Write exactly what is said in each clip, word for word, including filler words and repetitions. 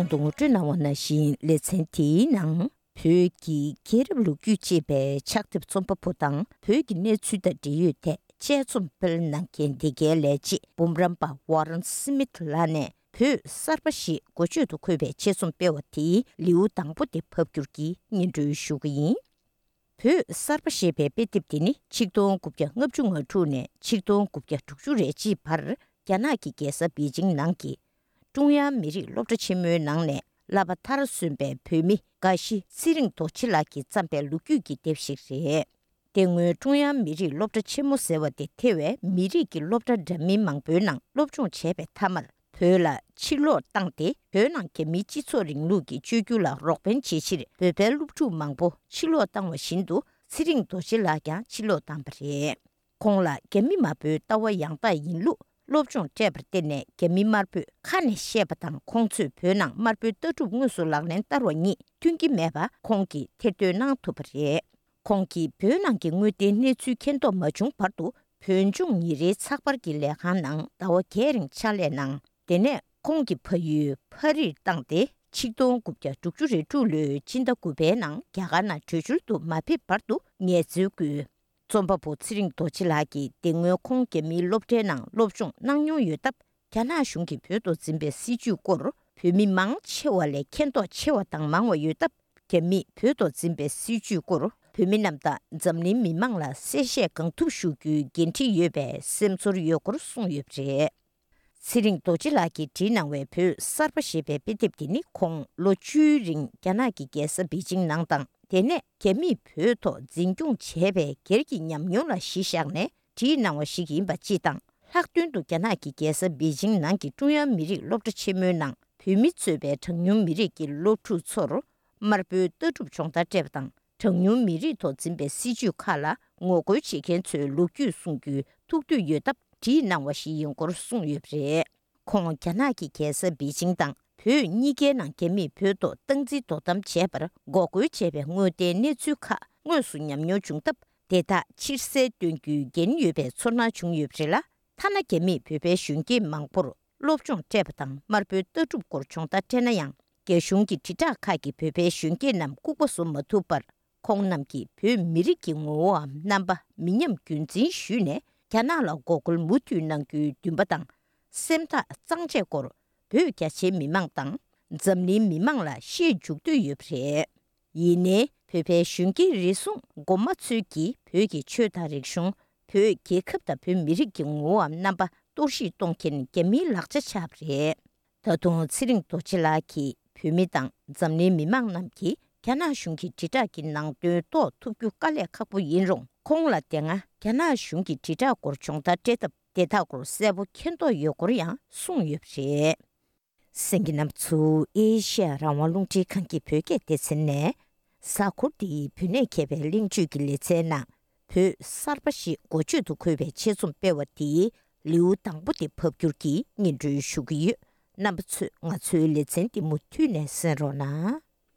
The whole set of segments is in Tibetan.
ད་དུང་ངོ་སྤྲོད་གནང་བ་ནང་བཞིན་ལེ་ཚན་དེའི་ནང་། བོད་ཀྱི་རྒྱལ་རབས་ལོ་རྒྱུས་ཅེས་པའི་ཕྱག་དེབ་རྩོམ་པ་པོ་དང་བོད་ཀྱི་གནས་ཚུལ་དང་འབྲེལ་ཡོད་ཐད་དཔྱད་རྩོམ་སྤེལ་གནང་མཁན་འདི་གའི་ལས་བྱེད་འབུམ་རམས་པ་ཝ་རན་སི་མིད་ལགས་ནས་བོད་གསར་པ་ཞེས་འགོ་བརྗོད་དུ་འཁོད་པའི་དཔྱད་རྩོམ་སྤེལ་བ་དེའི་ལེའུ་དང་པོ་དེ་ཕབ་བསྒྱུར་གྱིས་སྙན་སྒྲོན་ཞུ་གི་ཡིན། བོད་གསར་པ་ཞེས་པའི་དཔེ་དེབ་དེ་ནི་ཆིག་སྟོང་དགུ་བརྒྱ་ལྔ་བཅུ་ང་དྲུག་ནས་ཆིག་སྟོང་དགུ་བརྒྱ་དྲུག་ཅུ་རེ་གཅིག་བར་རྒྱ་ནག་གི་རྒྱལ་ས་པེ་ཅིང་ནང་གི་ཀྲུང་དབྱང་མི་རིགས་སློབ་གྲྭ་ཆེན་མོའི་ནང་ནས་བསླབ་པ་མཐར་སོན་པའི་བོད་མི་དགའ་བཞི་ཚེ་རིང་རྡོ་རྗེ་ལགས་ཀྱིས་བརྩམས་པའི་ལོ་རྒྱུས་ཀྱི་དེབ་ཞིག་རེད། དེ་སྔོན་ཀྲུང་དབྱང་མི་རིགས་སློབ་གྲྭ་ཆེན་མོ་ཟེར་བ་དེ་ཐེ་བའི་མི་རིགས་ཀྱི་སློབ་གྲྭ་འདྲ་མིན་མང་པོའི་ནང་སློབ་སྦྱོང་བྱས་པའི་མཐའ་མར། བོད་ལ་ཕྱིར་ལོག་བཏང་སྟེ། བོད་ནང་རྒྱ་མིའི་སྤྱི་ཚོགས་རིང་ལུགས་ཀྱི་བཅོས་བསྒྱུར་ལ་རོགས་ཕན་བྱེད་ཕྱིར་བོད་པའི་སློབ་ཕྲུག་མང་པོ་ཕྱིར་ལོག་བཏང་བ་བཞིན་དུ་ཚེ་རིང་རྡོ་རྗེ་ལགས་ཀྱང་ཕྱིར་ལོག་བཏང་བ་རེད། ཁོང་ལ་རྒྱ་མི་དམར་པོའི་ལྟ་བ་ཡང་དག་ཡིན་ལུགས་སློབ་སྦྱོང་སྤྲད་པར་བརྟེན་ནས་རྒྱ་མི་དམར་པོས་ཁ་ནས་བཤད་པ་དང་ཁོང་ཚོས་བོད་ནང་དམར་པོའི་ལྟ་གྲུབ་དངོས་སུ་ལག་ལེན་བསྟར་བ་གཉིས་མཐུན་གྱི་མེད་པ་ཁོང་གིས་ཐེར་འདོན་གནང་ཐུབ་པ་རེད། ཁོང་གིས་བོད་ནང་གི་དངོས་བདེན་གནས་ཚུལ་མཁྱེན་རྟོགས་མ་བྱུང་བར་དུ་བོད་ལྗོངས་ཉིན་རེའི་ཚགས་པར་གྱི་ལས་ཁང་ནང་ཟླ་བ་བརྒྱད་རིང་ཕྱག་ལས་གནང་། དེ་ནས་ཁོང་གི་ཕ་ཡུལ་ཕ་རིར་བཏང་སྟེ་ཆིག་སྟོང་དགུ་བརྒྱ་དྲུག་ཅུ་རེ་དྲུག་ལོའི་སྤྱི་ཟླ་དགུ་པའི་ནང་རྒྱ་གར་ནང་བྲོས་བྱོལ་དུ་མ་ཕེབས་བར་དུ་ངལ་རྩོལ་བསྐུལ། རྩོམ་པ་པོ་ཚེ་རིང་རྡོ་རྗེ་ལགས་ཀྱིས་དེ་སྔོན་ཁོང་རྒྱ་མིའི་སློབ་གྲྭའི་ནང་སློབ་སྦྱོང་གནང་མྱོང་ཡོད་སྟབས། རྒྱ་ནག་གཞུང་གིས་བོད་ཐོག་འཛིན་པའི་སྲིད་བྱུས་སྐོར་བོད་མི་མང་ཆེ་བ་ལས་མཁྱེན་རྟོགས་ཆེ་བ་དང་མང་བ་ཡོད་སྟབས། རྒྱ་མིས་བོད་ཐོག་འཛིན་པའི་སྲིད་བྱུས་སྐོར་བོད་མི་རྣམས་དང་འཛམ་གླིང་མི་མང་ལ་གསལ་བཤད་གང་ཐུབ་ཞུ་རྒྱུའི་འགན་འཁྲི་ཡོད་པའི་སེམས་ཚོར་ཡོད་སྐོར་གསུངས་ཡོད་པ་རེད། ཚེ་རིང་རྡོ་རྗེ་ལགས་ཀྱིས་བྲིས་གནང་བའི་བོད་གསར་པ་ཞེས་པའི་དཔེ་དེབ་དེ་ནི་ཁོང་ལོ་བཅུའི་རིང་རྒྱ་ནག་གི་རྒྱལ་ས་པེ་ཅིང་ནང་དང་དེ་ནས་རྒྱ་མིས་བོད་ཐོག་འཛིན་སྐྱོང་བྱས་པའི་སྒེར་གྱི་ཉམས་མྱོང་ལ་གཞི་བཞག་ནས་བྲིས་གནང་བ་ཞིག་ཡིན་པ་སྤྱི་དང་། ལྷག་དོན་དུ་རྒྱ་ནག་གི་རྒྱལ་ས་པེ་ཅིང་ནང་གི་ཀྲུང་དབྱང་མི་རིགས་སློབ་གྲྭ་ཆེན་མོའི་ནང་བོད་མི་གཙོས་པའི་གྲངས་ཉུང་མི་རིགས་ཀྱི་སློབ་ཕྲུག་ཚོར་དམར་པོའི་ལྟ་གྲུབ་སྦྱོང་བརྡར་སྤྲད་པ་དང་། གྲངས་ཉུང་མི་རིགས་ཐོག་འཛིན་པའི་སྲིད་བྱུས་ཁག་ལ་ངོ་རྒོལ་བྱེད་མཁན་ཚོའི་ལོ་རྒྱུས་གསུང་རྒྱུའི་ཐུགས་འདོད་ཡོད་སྟབས་བྲིས་གནང་བ་ཞིག་ཡིན་སྐོར་གསུངས་ཡོད་པ་རེད། ཁོང་རྒྱ་ནག་གི་རྒྱལ་ས་པེ་ཅིང་དང་བོད་གཉིས་ཀའི་ནང་རྒྱ་མིས་བོད་ཐོག་སྟངས་འཛིན་དོ་དམ་བྱས་པར་འགོག་རྒོལ་བྱས་པའི་དངོས་བདེན་གནས་ཚུལ་ཁག་དངོས་སུ་ཉམས་མྱོང་བྱུང་སྟབས། དེ་དག་ཕྱིར་གསལ་སྟོན་རྒྱུའི་འགན་ཡོད་པའི་ཚོར་སྣང་བྱུང་ཡོད་པ་རེད་ལ། ཐ་ན་རྒྱ་མིས་བོད་པའི་གཞོན་སྐྱེས་མང་པོར་སློབ་སྦྱོང་སྤྲད་པ་དང་དམར་པོའི་ལྟ་གྲུབ་སྐོར་སྦྱོང་བརྡར་སྤྲད་ན་ཡང་། རྒྱ་གཞུང་གི་དྲིལ་བསྒྲགས་ཁག་གིས་བོད་པའི་གཞོན་སྐྱེས་རྣམས་ལྐུགས་པ་བཟོ་མ་ཐུབ་པར། ཁོང་རྣམས་ཀྱིས་བོད་མི་རིགས་ཀྱི་ངོ་བོའམ་རྣམ་པ་མི་ཉམས་རྒྱུན་འཛིན་ཞུས་ནས་རྒྱ་ནག་ལ་འགོག་རྒོལ་མུ་མཐུད་གནང་རྒྱུའི་འདུན་པ་དང་། སེམས་ཐག་གཙང་བཅད་སྐོར་བོད་རྒྱ་ཆེའི་མི་མང་དང་འཛམ་གླིང་མི་མང་ལ་བཤད་འཇུག་འདོད་ཡོད་པ་རེད། ཡིན་ནའི་བོད་པའི་གཞོན་སྐྱེས་རེ་ཟུང་མགོ་མ་ཚོས་ཀྱིས་བོད་ཀྱི་ཆོས་དང་རིག་གཞུང་། བོད་རྒྱལ་ཁབ་དང་བོད་མི་རིགས་ཀྱི་ངོ་བོའམ་རྣམ་པ་གཏོར་བཤིག་གཏོང་མཁན་རྒྱ་མིའི་ལག་ཆ་ཆགས་པ་རེད། ད་དུང་ཚེ་རིང་རྡོ་རྗེ་ལགས་ཀྱིས་བོད་མི་དང་འཛམ་གླིང་མི་མང་རྣམས་ཀྱིས་རྒྱ་ནག་གཞུང་གི་དྲིལ་བསྒྲགས་ཀྱི་ནང་དོན་རྟོགས་ཐུབ་རྒྱུ་དཀའ་ལས་ཁག་པོ་ཡིན་རུང་། ཁོང་ལ་དེ་སྔ་རྒྱ་ནག་གཞུང་གི་དྲིལ་བསྒྲགས་སྐོར་སྦྱོང་བརྡར་སྤྲད་སྟབས། དེ་དག་སྐོར་གསལ་པོ་མཁྱེན་རྟོགས་ཡོད་སྐོར་ཡང་གསུངས་ཡོད་པ་རེད། གསན་མཁན་རྣམ་པ་ཚོ་ཨེ་ཤེ་ཡ་རང་དབང་རླུང་འཕྲིན་ཁང་གི་བོད་སྐད་སྡེ་ཚན་ནས། གཟའ་འཁོར་འདིའི་བོད་གནས་མཁས་པའི་གླེང་བརྗོད་ཀྱི་ལེ་ཚན་ནང་བོད་གསར་པ་ཞེས་འགོ་བརྗོད་དུ་འཁོད་པའི་ཆེད་རྩོམ་སྤེལ་བ་དེའི་ལེའུ་དང་པོ་དེ་ཕབ་བསྒྱུར་གྱིས་སྙན་སྒྲོན་ཞུ་གི་ཡོད། རྣམ་པ་ཚོས་ང་ཚོའི་ལེ་ཚན་འདི་མུ་མཐུད་ནས་གསན་རོགས་གནང་།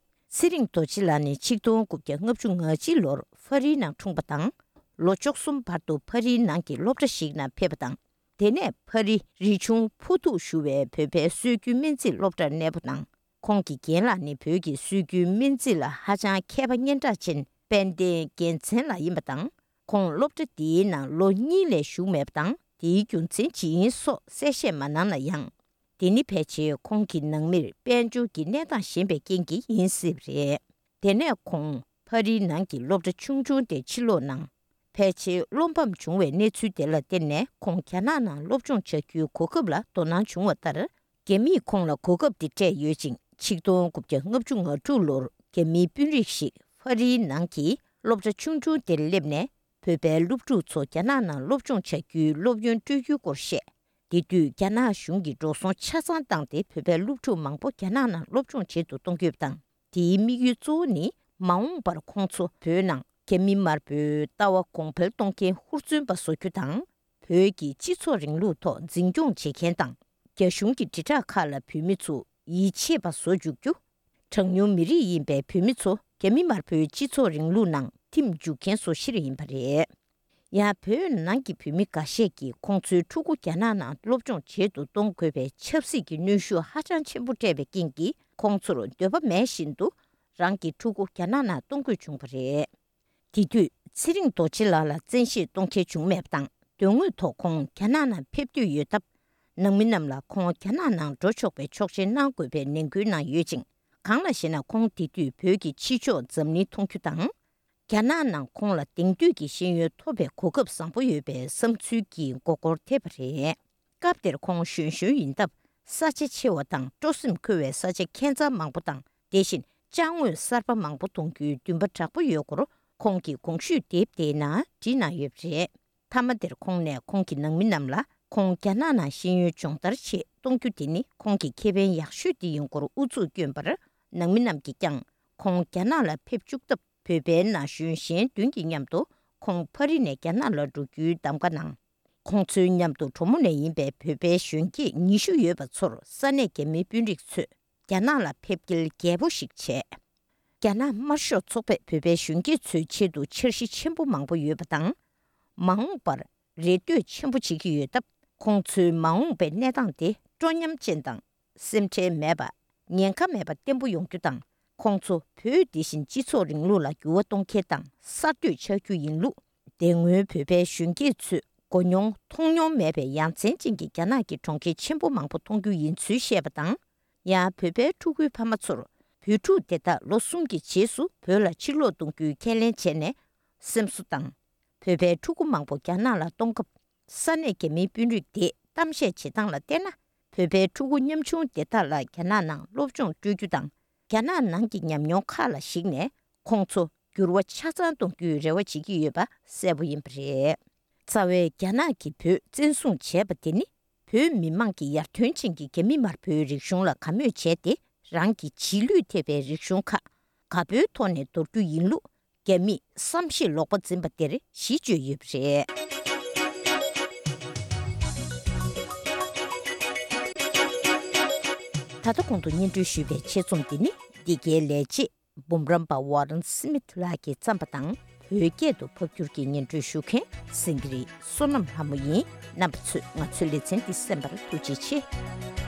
ཚེ་རིང་རྡོ་རྗེ་ལགས་ནི་ཆིག་སྟོང་དགུ་བརྒྱ་ལྔ་བཅུ་ང་གཅིག་ལོར་ཕ་རིའི་ནང་འཁྲུངས་པ་དང་། ལོ་བཅུ་གསུམ་བར་དུ་ཕ་རིའི་ནང་གི་སློབ་གྲྭ་ཞིག་ནང་ཕེབས་པ་དང་། དེ་ནས་ཕ་རི་རི་ཆུང་ཕུ་ཐུག་ཞུ་བའི་བོད་པའི་སྲོལ་རྒྱུན་སྨན་རྩིས་སློབ་གྲྭར་གནས་སྤོ་གནང་། ཁོང་གི་རྒན་ལགས་ནི་བོད་ཀྱི་སྲོལ་རྒྱུན་སྨན་རྩིས་ལ་ཧ་ཅང་མཁས་པ་སྙན་གྲགས་ཅན་དཔལ་ལྡན་རྒྱལ་མཚན་ལགས་ཡིན་པ་དང་། ཁོང་སློབ་གྲྭ་འདིའི་ནང་ལོ་གཉིས་ལས་བཞུགས་མེད་པ་དང་། དེའི་རྒྱུ་མཚན་ཇི་ཡིན་སོགས་གསལ་བཤད་མ་གནང་ན་ཡང་། དེ་ནི་ཕལ་ཆེར་ཁོང་གི་ནང་མིར་དཔལ་འབྱོར་གྱི་གནས་སྟངས་ཞན་པའི་རྐྱེན་གྱིས་ཡིན་སྲིད་པ་རེད། དེ་ནས་ཁོང་ཕ་རིའི་ནང་གི་སློབ་གྲྭ་ཆུང་ཆུང་དེར་ཕྱིར་ལོག་གནང་། ཕལ་ཆེར་བློ་ཕམ་བྱུང་བའི་གནས་ཚུལ་དེ་ལ་བརྟེན་ནས་ཁོང་རྒྱ་ནག་ནང་སློབ་སྦྱོང་བྱ་རྒྱུའི་གོ་སྐབས་ལ་དོ་སྣང་བྱུང་བ་ལྟར། རྒྱ་མིས་ཁོང་ལ་གོ་སྐབས་དེ་སྤྲད་ཡོད་ཅིང་། ཆིག་སྟོང་དགུ་བརྒྱ་ལྔ་བཅུ་ང་དྲུག་ལོར་རྒྱ་མིའི་དཔོན་རིགས་ཤིག་ཕ་རིའི་ནང་གི་སློབ་གྲྭ་ཆུང་ཆུང་དེར་སླེབས་ནས། བོད་པའི་སློབ་ཕྲུག་ཚོ་རྒྱ་ནག་ནང་སློབ་སྦྱོང་བྱ་རྒྱུའི་སློབ་ཡོན་སྤྲོད་རྒྱུའི་སྐོར་བཤད། དེ་དུས་རྒྱ་ནག་གཞུང་གིས་འགྲོ་སོང་ཆ་ཚང་བཏང་སྟེ་བོད་པའི་སློབ་ཕྲུག་མང་པོ་རྒྱ་ནག་ནང་སློབ་སྦྱོང་བྱེད་དུ་གཏོང་རྒྱུ་དང་། དེའི་དམིགས་ཡུལ་གཙོ་བོ་ནི་མ་འོངས་པར་ཁོང་ཚོ་བོད་ནང་རྒྱ་མི་དམར་པོའི་ལྟ་བ་གོང་འཕེལ་གཏོང་མཁན་ཧུར་བརྩོན་པ་བཟོ་རྒྱུ་དང་། བོད་ཀྱི་སྤྱི་ཚོགས་རིང་ལུགས་ཐོག་འཛིན་སྐྱོང་བྱེད་མཁན་དང་། རྒྱ་གཞུང་གི་དྲིལ་བསྒྲགས་ཁག་ལ་བོད་མི་ཚོ་ཡིད་ཆེས་པ་བཟོ་འཇུག་རྒྱུ། གྲངས་ཉུང་མི་རིགས་ཡིན་པའི་བོད་མི་ཚོ་རྒྱ་མི་དམར་པོའི་སྤྱི་ཚོགས་རིང་ལུགས་ནང་འཐིམ་འཇུག་མཁན་བཟོ་ཕྱིར་ཡིན་པ་རེད། ཡང་བོད་ནང་གི་བོད་མི་འགའ་ཤས་ཀྱིས་ཁོང་ཚོའི་ཕྲུ་གུ་རྒྱ་ནག་ནང་སློབ་སྦྱོང་བྱེད་དུ་གཏོང་དགོས་པའི་ཆབ་སྲིད་ཀྱི་གནོན་ཤུགས་ཧ་ཅང་ཆེན་པོ་སྤྲད་པའི་རྐྱེན་གྱིས། ཁོང་ཚོར་འདོད་པ་མེད་བཞིན་དུ་རང་གི་ཕྲུ་གུ་རྒྱ་ནག་ནང་གཏོང་དགོས་བྱུང་བ་རེད། དེ་དུས་ཚེ་རིང་རྡོ་རྗེ་ལགས་ལ་བཙན་ཤེད་གཏོང་མཁན་བྱུང་མེད་པ་དང་། དོན་དངོས་ཐོག་ཁོང་རྒྱ་ནག་ནང་ཕེབས་འདོད་ཡོད་སྟབས། ནང་མི་རྣམས་ལ་ཁོང་རྒྱ་ནག་ནང་འགྲོ་ཆོག་པའི་ཆོག་མཆན་གནང་དགོས་པའི་ནན་སྐུལ་གནང་ཡོད་ཅིང་། གང་ལགས་ཤེ་ན། ཁོང་དེ་དུས་བོད་ཀྱི་ཕྱི་ཕྱོགས་འཛམ་གླིང་མཐོང་རྒྱུ་དང་། རྒྱ་ནག་ནང་ཁོང་ལ་དེང་དུས་ཀྱི་ཤེས་ཡོན་ཐོབ་པའི་གོ་སྐབས་བཟང་པོ་ཡོད་པའི་བསམ་ཚུལ་གྱི་མགོ་སྐོར་ཐེབས་པ་རེད། སྐབས་དེར་ཁོང་གཞོན་གཞོན་ཡིན་སྟབས། ས་ཆ་ཆེ་བ་དང་སྤྲོ་སེམས་འཁོལ་བའི་ས་ཆ་ཁྱད་མཚར་མང་པོ་དང་། དེ་བཞིན་ཅ་དངོས་གསར་པ་མང་པོ་མཐོང་རྒྱུའི་འདུན་པ་དྲག་པོ་ཡོད་སྐོར། ཁོང་གི་གོང་ཞུས་དེབ་དེའི་ནང་བྲིས་གནང་ཡོད་པ་རེད། མཐའ་མ་དེར་ཁོང་ནས་ཁོང་གི་ནང་མི་རྣམས་ལ་ཁོང་རྒྱ་ནག་ནང་ཤེས་ཡོན་སྦྱོང་བརྡར་ཆེད་གཏོང་རྒྱུ་དེ་ནི་ཁོང་གི་ཁེ་ཕན་ཡག་ཤོས་དེ་ཡིན་སྐོར་ཨུ་ཚུགས་བསྐྱོན་པར། ནང་མི་རྣམས་ཀྱིས་ཀྱང་ཁོང་རྒྱ་ནག་ལ་ཕེབས་བཅུག་སྟབས། བོད་པའི་ན་གཞོན་གཞན་བདུན་གྱི་མཉམ་དུ་ཁོང་ཕ་རི་ནས་རྒྱ་ནག་ལ་འགྲོ་རྒྱུའི་གདམ་ག་གནང་། ཁོང་ཚོའི་མཉམ་དུ་གྲོ་མོ་ནས་ཡིན་པའི་བོད་པའི་གཞོན་སྐྱེས་ཉི་ཤུ་ཡོད་པ་ཚོར་ས་གནས་རྒྱ་མིའི་དཔོན་རིགས་ཚོས་རྒྱ་ནག་ལ་ཕེབས་སྐྱེལ་རྒྱས་པོ་ཞིག་བྱས། རྒྱ་ནག་དམར་ཤོག་ཚོགས་པས་བོད་པའི་གཞོན་སྐྱེས་ཚོའི་ཆེད་དུ་འཆར་གཞི་ཆེན་པོ་མང་པོ་ཡོད་པ་དང་། མ་འོངས་པར་རེ་ལྟོས་ཆེན་པོ་བྱེད་ཀྱི་ཡོད་སྟབས། ཁོང་ཚོའི་མ་འོངས་པའི་གནས་སྟངས་དེ་སྤྲོ་ཉམས་ཅན་དང་། སེམས་ཁྲལ་མེད་པ། ཉེན་ཁ་མེད་པ་བརྟན་པོ་ཡོང་རྒྱུ་དང་། ཁོང་ཚོ་བོད་དེ་བཞིན་སྤྱི་ཚོགས་རིང་ལུགས་ལ་འགྱུར་བ་གཏོང་མཁན་དང་གསར་གཏོད་ཆགས་རྒྱུ་ཡིན་ལུགས། དེ་སྔོན་བོད་པའི་གཞོན་སྐྱེས་ཚོས་གོ་མྱོང་མཐོང་མྱོང་མེད་པའི་ཡ་མཚན་ཅན་གྱི་རྒྱ་ནག་གི་གྲོང་ཁྱེར་ཆེན་པོ་མང་པོ་མཐོང་རྒྱུ་ཡིན་ཚུལ་བཤད་པ་དང་། ཡང་བོད་པའི་ཕྲུ་གུའི་ཕ་མ་ཚོར་བོད་ཕྲུག་དེ་དག་ལོ་གསུམ་གྱི་རྗེས་སུ་བོད་ལ་ཕྱིར་ལོག་གཏོང་རྒྱུའི་ཁས་ལེན་བྱས་ནས། སེམས་གསོ་དང་། བོད་པའི་ཕྲུ་གུ་མང་པོ་རྒྱ་ནག་ལ་གཏོང་སྐབས། ས་གནས་རྒྱ་མིའི་དཔོན་རིགས་དེས་གཏམ་བཤད་བྱེད་སྟངས་ལ་བལྟས་ན། བོད་པའི་ཕྲུ་གུ་ཉམ་ཆུང་དེ་དག་ལ་རྒྱ་ནག་ནང་སློབ་སྦྱོང་སྤྲོད་རྒྱུ་དང་། རྒྱ་ནག་ནང་གི་ཉམས་མྱོང་ཁག་ལ་གཞིགས་ནས་ཁོང་ཚོ་འགྱུར་བ་ཆ་ཚང་གཏོང་རྒྱུའི་རེ་བ་བྱེད་ཀྱི་ཡོད་པ་གསལ་པོ་ཡིན་པ་རེད། རྩ་བའི་རྒྱ་ནག་གིས་བོད་བཙན་བཟུང་བྱས་པ་དེ་ནི། བོད་མི་མང་གི་ཡར་ཐོན་ཅན་གྱི་རྒྱ་མི་དམར་པོའི་རིག་གཞུང་ལ་དགའ་མོས་བྱས་ཏེ། རང་གི་རྗེས་ལུས་ཐེབས་པའི་རིག་གཞུང་ཁག་དགའ་པོའི་ཐོག་ནས་འདོར་རྒྱུ་ཡིན་ལུགས། རྒྱ་མིས་བསམ་ཤེས་ལོག་པ་འཛིན་པ་དེར་གཞི་བཅོལ་ཡོད་པ་རེད། ད་ལྟ་གོང་དུ་སྙན་སྒྲོན་ཞུས་པའི་ཆེད་རྩོམ་འདི་ནི་འདི་གའི་ལས་བྱེད་འབུམ་རམས་པ་ཝ་རན་སི་མིད་ལགས་ཀྱིས་བརྩམས་པ་དང་། བོད་སྐད་དུ་ཕབ་སྒྱུར་གྱིས་སྙན་སྒྲོན་ཞུ་མཁན་སེང་གེ་རི་བསོད་ནམས་ལྷ་མོ་ཡིན། རྣམ་པ་ཚོས་ང་ཚོའི་ལེ་ཚན་འདི་གསན་པར་ཐུགས་རྗེ་ཆེ།